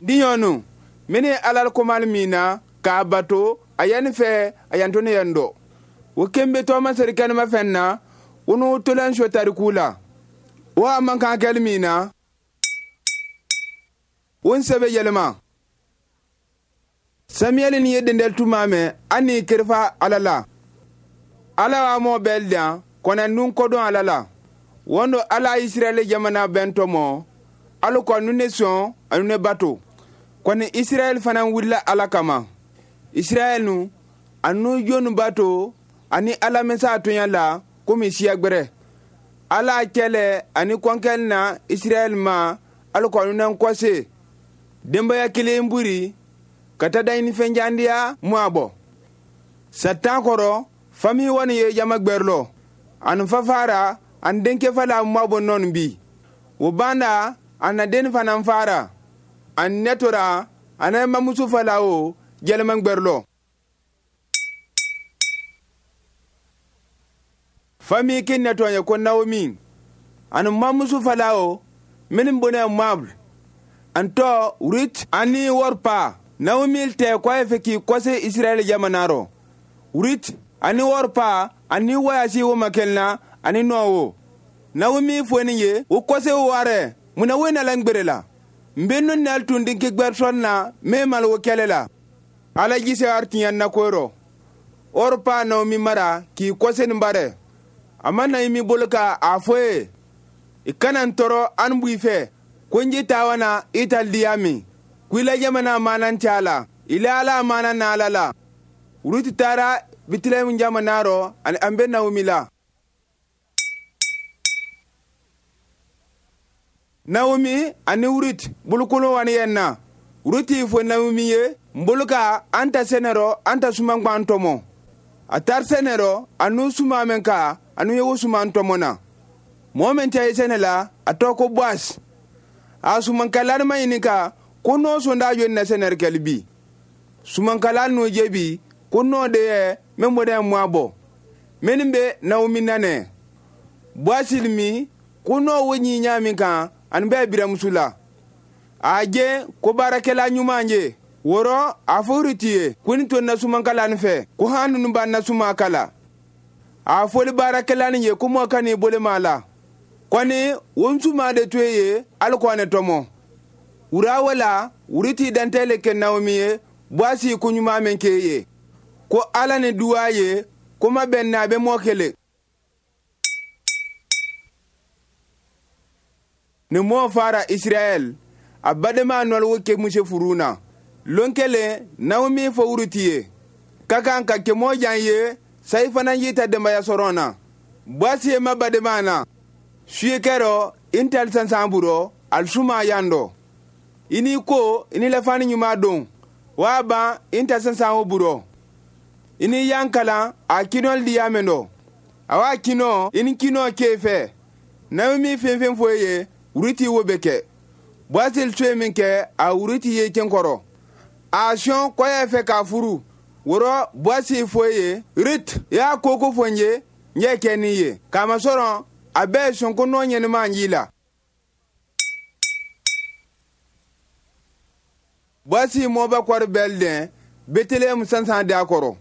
Diɲɔnu mini alal komal mina k'a bato a yani fɛ a yanto ne yan dɔ wo kembe tɔɔma seri kɛnɛma fɛn na wo n'o tolan so tariku la wo a man kan kɛli min na wo n sɛbɛ yɛlɛma. Samiyɛli ni ye dendɛli tuma mɛn an ni kerifa ala la ala wa mɔ bɛɛ dan kɔnɛ nun kɔdɔn ala la wɔn do ala Israɛli jamana bɛn tɔmɔ alu kɔ nu ne sɔn anu ne bato kɔni Israɛli fana wulila ala kama Israɛli nu anu jonu bato ani ala mɛnsa tonya la komi siya gbɛrɛ ala kɛlɛ ani kɔnkɛli na Israɛli ma alu kɔ nu ne kɔse denbaya kelen buri ka taa daɲini fɛnjandiya mu a bɔ satan kɔrɔ fami wani ye jama gbɛrɛlɔ ani fafara an denkɛ fala mu bɔ nɔni bi o banda an na den fana fara an nɛtora an na mamuso fala o jɛlɛman gbɛrɛlɔ fami kin nɛtɔ ye ko Naomi ani mamuso fala o minnu bɔnɛ Moab an tɔ Ruth ani Orpa. Naomi tɛ k'a fɛ k'i kɔse Israɛl jamana rɔ Ruth ani Orpa ani wayasi wo makɛlina ani nɔwo Naomi fɔ nin ye o kɔse warɛ munna wo nala ngbere la n bɛ nu nal tun dinki gbɛrɛsɔn na min mal wo kɛlɛ la ala jise artiɲɛ na ko rɔ Orpa Naomi mara k'i kɔse nin barɛ a ma Naomi bolo ka a fɔ ye i kana n tɔɔrɔ an b'i fɛ ko n ji taa wana i ta diya min kuila jamana manan cala ila ala manan na ala la Ruti taara Bitilehem jamana rɔ ani an bɛ Naomi la. Naomi ani Ruth bolokolo wani yɛn na Ruth fɔ Naomi ye n bolo ka an ta sɛnɛ rɔ an ta suman gban tɔmɔ a taar sɛnɛ rɔ a n'u suma mɛn ka a n'u ye wo suman tɔmɔ na mɔgɔ min ta ye sɛnɛ la a tɔ ko Boaz a sumankalani ma ɲininka ko n'o sɔnda joli na sɛnɛri kɛli bi sumankala n'o jebi ko n'o de ye min bɔ dɛ mɔ bɔ minnu bɛ Naomi nanɛ Boaz mi ko n'o wo ɲi ɲa min kan ani bɛɛ biramuso la a je ko baarakɛla ɲuman ye wɔrɔ a fɔ Ruth ye ko ni to na sumankala nin fɛ ko han ninnu b'a na suma kala a fɔli baarakɛla nin ye ko mɔ ka n'i bolo ma la kɔni wo suma de to ye hali kɔni tɔmɔ wura wala Ruth dantɛle kɛ Naomi ye Boaz ko ɲuman min k'e ye ko ala ni duwa ye ko ma bɛn na a bɛ mɔ kelen ni mɔ fara Israɛl a badenma nɔlɔwo kɛ muso furu na lon kelen Naomi fɔ Ruth ye ka kan ka kɛ mɔ jan ye sayi fana y'i ta denbaya sɔrɔ na Boaz ye ma badenma na suye kɛrɔ intel sansan burɔ alisuma yan dɔ i n'i ko i ni lafani ɲuman don waa ban i ta sansan o burɔ i ni yan kalan a kinɔli diya min dɔ a wa kinɔ i ni kinɔ k'e fɛ Naomi fɛn fɛn fɔ e ye Ruth wo bɛ kɛ Boaz to ye min kɛ a Ruth ye cɛn kɔrɔ a sɔn kɔyɛ fɛ k'a furu wɔrɔ Boaz fɔ e ye Ruth i y'a ko ko fɔ n ye n ye kɛ n'i ye k'a masɔrɔ a bɛɛ sɔn ko nɔ ɲɛnɛma y'i la. Boaz mɔba kɔri bɛl dɛn Betlehem sansan da kɔrɔ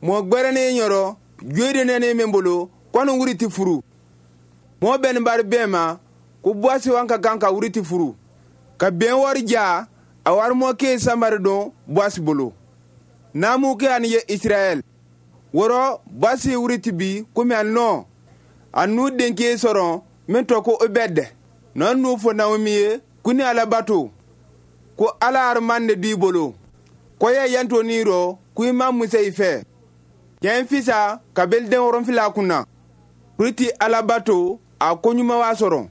mɔ gbɛrɛnen yɔrɔ joyi nɛnɛ min bolo kɔni Ruth furu mɔ bɛn bari bɛn ma ko Boaz wan ka kan ka Ruth furu ka bɛn wari ja a wari mɔ ke sanbari don Boaz bolo n'amu ke ani ye Israɛl wɔrɔ Boaz Ruth bi komi a nɔ a n'u denkɛ sɔrɔ min tɔ ko Obed nɔ n'u fɔ Naomi ye ko ni ala bato ko ala hariman de b'i bolo ko ye yanto n'i rɔ ko i ma musa i fɛ kɛn fisa ka bɛli den wɔrɔnfila kunna Ruth ala bato a ko ɲuman wa sɔrɔ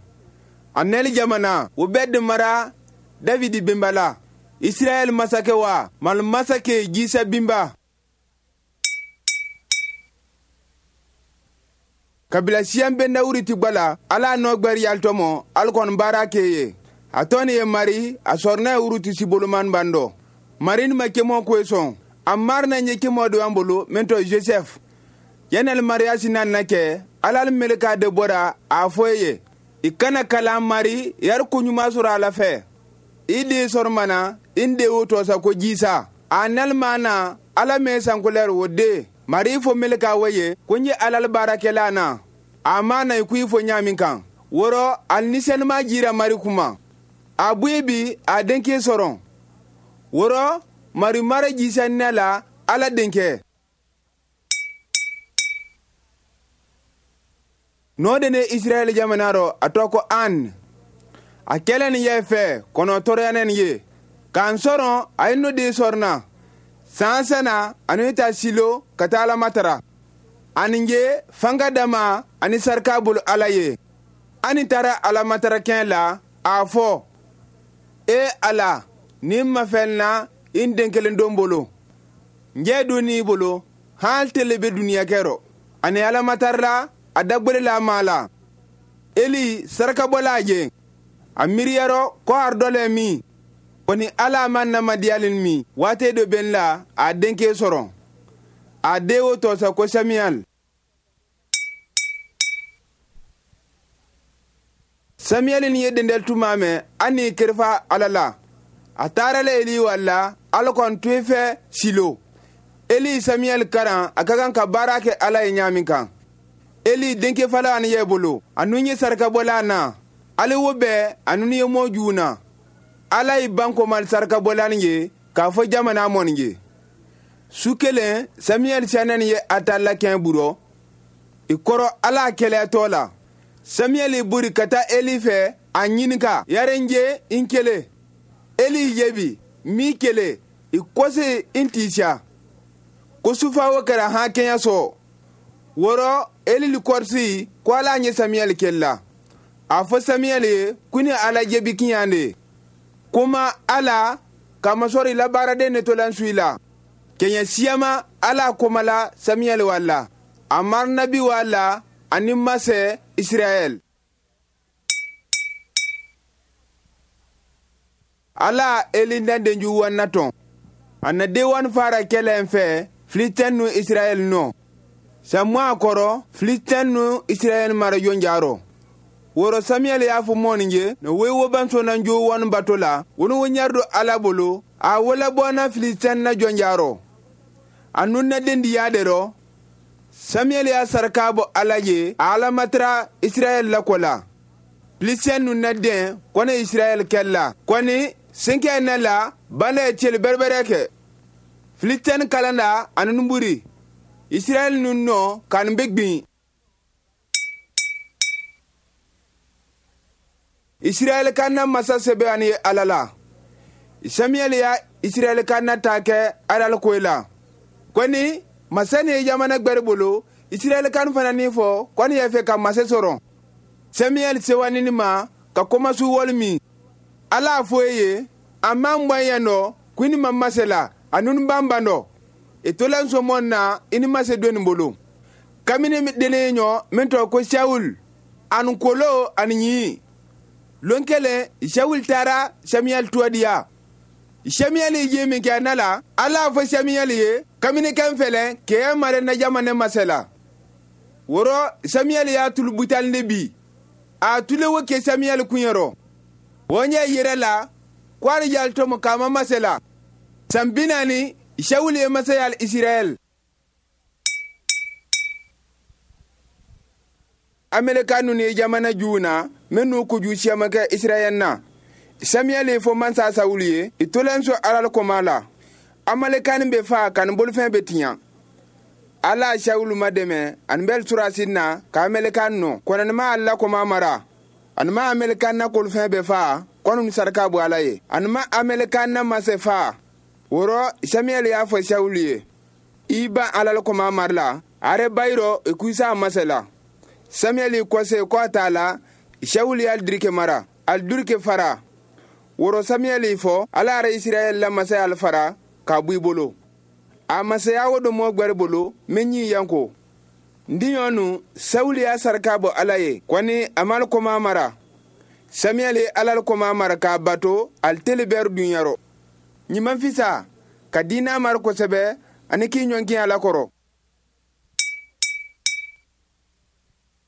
a nɛli jamana o bɛɛ de mara Davidi benba la Israɛl masakɛ wa mali masakɛ Jisɛ binba kabila siyan bɛ na Ruth gbala ala nɔ gbɛri yalitɔmɔ ali kɔni baara k'e ye a tɔ ni ye mari a sɔrɔ n'a ye Ruth si boloman ban dɔ mari ni ma kemɔ koye sɔn a mari na ɲɛ kemɔ do an bolo min tɔ Joseph yanali mariya si na kɛ ala meleka de bɔra a fɔ ye i kana kalan mari yari ko ɲuman sɔrɔ a la fɛ. I den sɔrɔmana in de wo tɔsa ko jisa a nalima ala mɛ sankolɛri wo den mari fo meleka wo ye ko n ye alal baarakɛla na a ma na i ko i fo ɲaamin kan wɔrɔ ali ni sɛnɛma jira mari kuma a buye bi a denkɛ sɔrɔ wɔrɔ mari mara jisa ne la ala denkɛ n'o de ne Israɛl jamana rɔ a tɔgɔ ko an a kɛlen nin ye fɛ kɔnɔ tɔɔrɔyanen ye k'an sɔrɔ a ye n'o den sɔrɔ na san sana ani ta silo ka taa ala matara ani ye fanga dama ani sarika bolo ala ye ani taara ala matara kɛn la a fɔ e ala ni ma fɛn na i den kelen don bolo n jɛ don n'i bolo hali tele bɛ duniya kɛrɔ ani ala matara la a dagbele la maa la eli sarakabɔla ye a miiriyarɔ ko aridɔlɛ min kɔni ala ma namadiyalen min waati dɔ bɛ n la a denkɛ sɔrɔ a den o tɔsa ko samiyal samiyali ni ye dendɛl tuma mɛn an ni kerifa ala la a taara la eli wala ala kɔni tun fɛ silo eli samiyali karan a ka kan ka baara kɛ ala ye ɲaamin kan eli denkɛ fala ani ye bolo a nun ye sarakabɔla na ale wo bɛɛ a nun ye mɔ jugu na ala ye bankomali sarakabɔlan ye k'a fɔ jamana mɔni ye su kelen samiyɛli sɛnɛni ye a ta lakɛn burɔ i kɔrɔ ala kɛlɛyatɔ la samiyɛli buri ka taa eli fɛ a ɲininka yarenje n kelen eli yebi min kelen i kɔse n tisa ko sufa wo kɛra han kɛɲɛ sɔrɔ wɔrɔ eli kɔrisi ko ala ɲɛ samiyɛli kɛlɛ la a fɔ samiyɛli ye ko ni ala jebi kiɲan de kuma ala kamasɔrɔ i la baaraden ne tolan su i la kɛɲɛ siyama ala komala samiyɛli wala a marinabi wala ani masɛ israɛl ala eli denju wanna tɔn a na den fara kɛlɛn fɛ filitɛn nu israɛl nɔ samuwa kɔrɔ filitɛn nu israɛl mara yonjarɔ woro samiyɛli y'a fɔ mɔni ye na wo wo banso na jo wani bato la woni wo ɲari ala bolo a wala bɔna filitɛn na jɔnjarɔ a nun na den diya de rɔ samiyɛli y'a saraka bɔ ala ye a alamatara israɛl la ko la filisiyɛn nun na den kɔni israɛl kɛli la kɔni senkɛ ne la bana ye celi bɛrɛbɛrɛ kɛ filisiyɛn kalan na ani nuburi israɛl nun nɔ k'an bɛ gbin israɛl ka na masa sɛbɛ ani ala la samiyɛli ya israɛl ka na ta kɛ alal koyi la kɔni masa ni ye jamana gbɛri bolo israɛl kan fana ni fɔ kɔni y'a fɛ ka masa sɔrɔ samiyɛli sewanini ma ka kɔmasu wali min ala a fɔ e ye a man gbɔn yɛn dɔ ko i ni ma masa la a nunu ban ban dɔ i tola nsɔmɔ na i ni masa doni bolo kamini delen ɲɔ min tɔgɔ ko sawul ani kolo ani ɲi lon kelen sawul taara samiyɛli tuwadiya samiyɛli ye min kɛ na la ala fɔ samiyɛli ye kamini kan fɛlɛ k'e mare na jamana masa la wɔrɔ samiyɛli y'a tulu butali de bi a tule wo kɛ samiyɛli kunyɔrɔ o ɲɛ yɛrɛ la ko ali yali tɔmɔ k'a ma masa la san 40 sawul ye masaya israɛl ameleka nunu ye jamana juw na minnu kojugu siyaman kɛ israɛl na samiyɛli ye fɔ mansa sawulu ye i tolen so alal kɔma la amalekani bɛ fa ka nin bolofɛn bɛ tiɲɛ ala sawulu ma dɛmɛ ani bɛ surasi na ka amelekan nɔ kɔnɔnima ala kɔma mara ani ma amelekan na kolofɛn bɛ fa kɔnun saraka bɔ ala ye ani ma amelekan na masɛ fa wɔrɔ samiyɛli y'a fɔ sawulu ye i ban alal kɔma mara la are bayirɔ i kuisa masɛ la samiyɛli kɔse kɔ t'a la sawulu y'a dirike mara al durike fara woro samiyɛli fɔ ala yɛrɛ israɛl la masaya al fara k'a bɔ i bolo a masaya wo do mɔ gwɛri bolo min ɲi yanko ndiɲɔ nu sawulu y'a saraka bɔ ala ye kɔni a mal kɔma mara samiyɛli alal kɔma mara k'a bato al teli bɛri dunyarɔ ɲiman fisa ka diina mara kosɛbɛ ani k'i ɲɔnkin ala kɔrɔ.